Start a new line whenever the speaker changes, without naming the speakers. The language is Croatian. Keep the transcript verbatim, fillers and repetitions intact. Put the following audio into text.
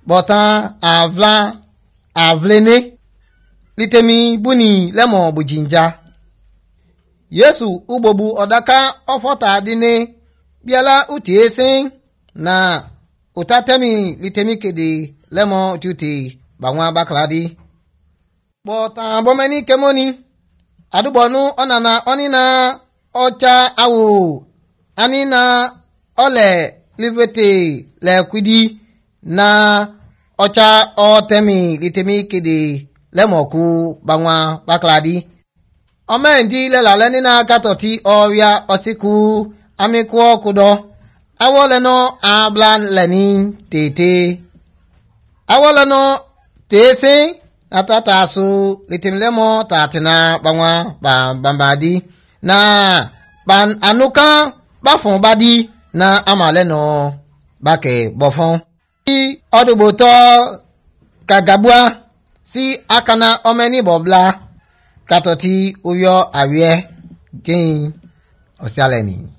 Botan avla avlene litemi buni lemo bujinja. Yesu ubobu odaka ofota dine biala utiesen na utatemi litemi kede lemo tuti bangwa bakladi. Botan bomeni kemoni adubonu onana onina ocha awu anina ole livete le kwidi na ocha otemi litemi kede lemoku bangwa bakladi. Omendi le la lenina katoti oria osiku amikwo kudo awoleno ablan leni tete awoleno tese atata su litimlemo tatina bangwa ba bambadi na ban anuka bafon badi na amaleno bake bofon si oduboto kagabua si akana omeni bobla katoti uyo awie kin osialeni.